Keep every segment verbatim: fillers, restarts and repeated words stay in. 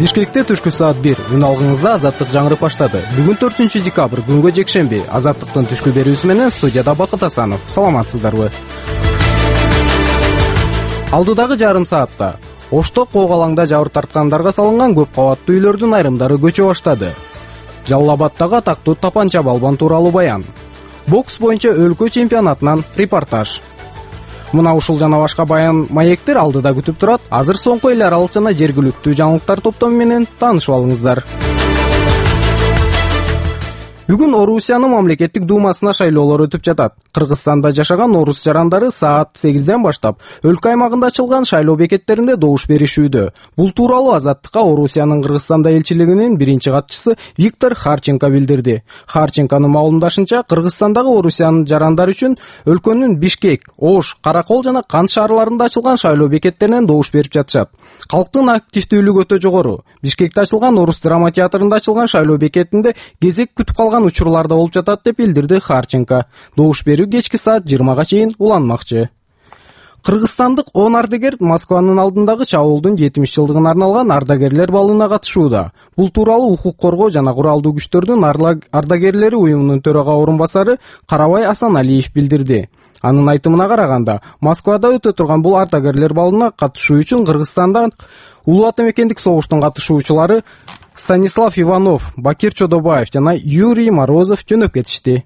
Бишкекте түшкү саат бир. Үн алгыңызда Азаттык жаңырып баштады. Бүгүн төртүнчү декабрь, күнгө жекшемби. Азаттыктын түшкү берүүсү менен студияда Бакыт Асанов. Саламатсыздарбы? Алдыдагы жарым саатта Ошто Когалаңда жабыр тарткандарга салынган көп кабаттуу үйлөрдүн айрымдары көчө баштады. Жалал Абаддагы атактуу тапанча балбан тууралуу баян. Бокс боюнча өлкө чемпионатынан репортаж. Мына ушул жана башка баян маектер алдыда күтүп турат. Азыр соңку эл аралык жана жергиликтүү жаңылыктар топтому менен таанышып алыңыздар. Бүгүн Орусиянын мамлекеттик думасына шайлоолор өтүп жатат. Кыргызстанда жашаган орус жарандары саат сегизден баштап өлкө аймагында ачылган шайлоо бекеттеринде добуш беришүүдө. Бул тууралуу Азаттыкка Орусиянын Кыргызстанда элчилигинин биринчи катчысы Виктор Харченко билдирди. Харченконун маалымдашынча, Кыргызстандагы Орусиянын жарандары үчүн өлкөнүн Бишкек, Ош, Каракол жана Кант шаарларында ачылган шайлоо бекеттеринен добуш берип жатышат. Калктын активдүүлүгү өтө жогору. Бишкекте ачылган Орус драма театрында ачылган шайлоо бекетинде кезек күтүп калган учурларда болуп жатат деп билдирди Харченко. Добуш берүү кечки саат жыйырмага чейин уланмакчы. Кыргызстандык он ардагер Москванын алдындагы чабуулдун жетимиш жылдыгына арналган ардагерлер балына катышууда. Бул тууралуу укук коргоо жана куралдуу күчтөрдүн ардагерлери уюмунун төрага орун басары Карабай Асаналиев билдирди. Анын айтымына караганда, Москвада өтө турган бул ардагерлер балына катышуу үчүн Кыргызстандан улуу ата мекендик согуштун катышуучулары Станислав Иванов, Бакир Чодобаев жана Юрий Морозов жөнөп кетишти.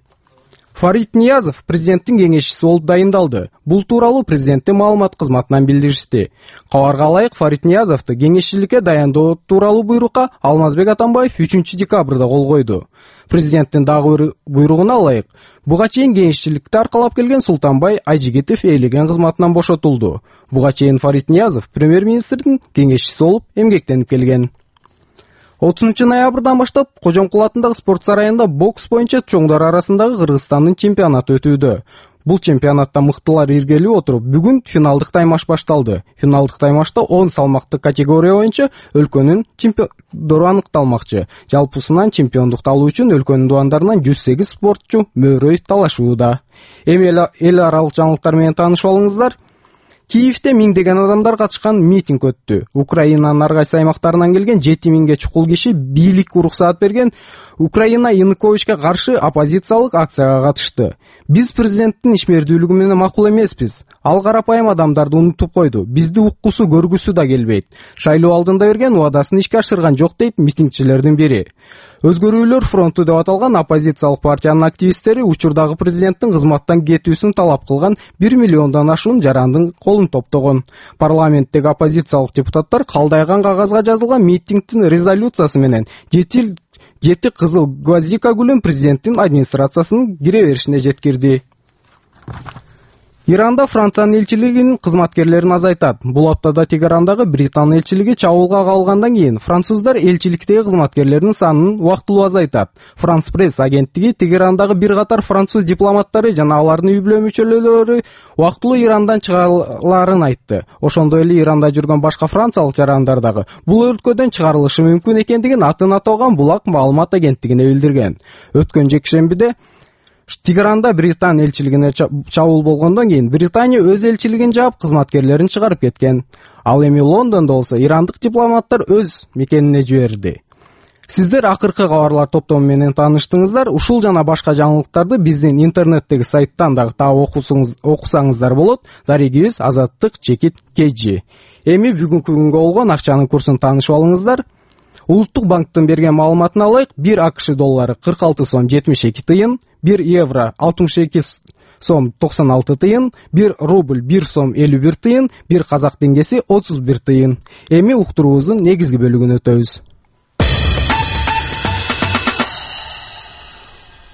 Фарид Ниязов президенттин кеңешчиси болуп дайындалды. Бул тууралуу президенттин маалымат кызматынан билдиришти. Кабарга ылайык, Фарид Ниязовду кеңешчиликке дайындоо тууралуу буйрукка Алмазбек Атамбаев үчүнчү декабрда кол койду. Президенттин дагы бир буйругуна ылайык, буга чейин кеңешчиликти аркалап келген Султанбай Айжигитов ээлеген кызматынан бошотулду. Буга чейин Фарид Ниязов премьер-министрдин кеңешчиси болуп эмгектенип келген. отузунчу ноябрдан баштап Кожомкул атындагы спорт сарайында бокс боюнча чоңдар арасындагы Кыргызстандын чемпионаты өтүүдө. Бул чемпионатта мыктылар иргелип отуруп, бүгүн финалдык таймаш башталды. Финалдык таймашта он салмактык категория боюнча өлкөнүн чемпиондору аныкталмакчы. Жалпысынан чемпиондукту алуу үчүн өлкөнүн дубандарынан жүз сегиз спортчу мөөрөй талашууда. Эми эл аралык жаңылыктар менен таанышып алыңыздар. Киевде миңдеген адамдар катышкан митинг өттү. Украинанын ар кайсы аймактарынан келген жети миңге чукул киши бийликке уруксаат берген Украина Януковичке каршы оппозициялык акцияга катышты. Биз президенттин ишмердүүлүгү менен макул эмеспиз. Ал карапайым адамдарды унутуп койду. Бизди уккусу, көргүсү да келбейт. Шайлоо алдында берген убадасын ишке ашырган жок дейт митингчилердин бири. Өзгөрүүлөр фронту деп аталган оппозициялык партиянын активисттери учурдагы президенттин кызматтан кетүүсүн талап кылган бир миллиондон ашуун жарандын колун топтогон. Парламенттеги оппозициялык депутаттар калдайган кагазга жазылган митингдин резолюциясы менен жети жети кызыл гвоздика гүлүн президенттин администрациясынын кире беришине жеткирди. Иранда Франциянын элчилигинин кызматкерлерин азайтат. Бул аптада Тегерандагы Британ элчилиги чабуулга кабылгандан кийин француздар элчиликтеги кызматкерлердин санын убактылуу азайтат. Франс пресс агенттиги Тегерандагы бир катар француз дипломаттары жана алардын үй-бүлө мүчөлөрү убактылуу Ирандан чыгаларын айтты. Ошондой эле Иранда жүргөн башка франциялык жарандар дагы бул өлкөдөн чыгарылышы мүмкүн экендигин атын аталган Булак маалымат агенттигине билдирген. Өткөн жекшембиде Тегеранда Британ элчилигине чабуул болгондон кийин Британия өз элчилигин жаап, кызматкерлерин чыгарып кеткен. Ал эми Лондондо болсо ирандык дипломаттар өз мекенине жиберди. Сиздер акыркы кабарлар топтому менен тааныштыңыздар. Ушул жана башка жаңылыктарды биздин интернеттеги сайттан дагы таап окусаңыздар болот. Дарегибиз Азаттык чекит кж. Эми бүгүнкү күнгө болгон акчанын курсун таанышып алыңыздар. Улуттук банктын берген маалыматына ылайык, бир АКШ доллары кырк алты сом жетимиш эки тыйын, бир евро алтымыш эки сом токсон алты тыйын, бир рубль бир сом элүү бир тыйын, бир казак теңгеси отуз бир тыйын. Эми уктуруубуздун негизги бөлүгүнө өтөбүз.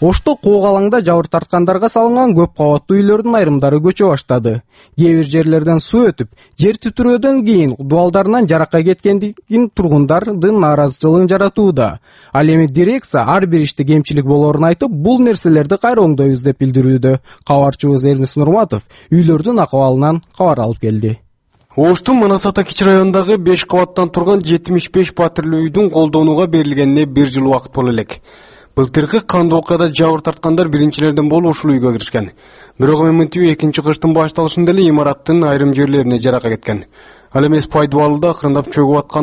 Ошто Когалаңда жабыр тарткандарга салынган көп кабаттуу үйлөрдүн айрымдары көчө баштады. Кээ бир жерлерден суу өтүп, жер титирөөдөн кийин дубалдарынан жаракка кеткендигин тургундардын нааразычылыгын жаратууда. Ал эми дирекция ар бир иште кемчилик болоорун айтып, бул нерселерди кайра оңдойбуз деп билдирүүдө. Кабарчыбыз Эрнис Нурматов үйлөрдүн акыбалынан кабар алып келди. Оштун Манас-Ата Кичи районундагы беш кабаттан турган жетимиш беш патруль үйдүн колдонууга берилгенине бир жыл убакыт боло элек. Былтыркы кандуу окуяда жабыр тарткандар биринчилерден болуп ушул үйгө киришкен. Бирок эми экинчи кыштын башталышында эле имараттын айрым жерлерине жарака кеткен. Ал эмес пайдубалда акырындап чөгүп аткан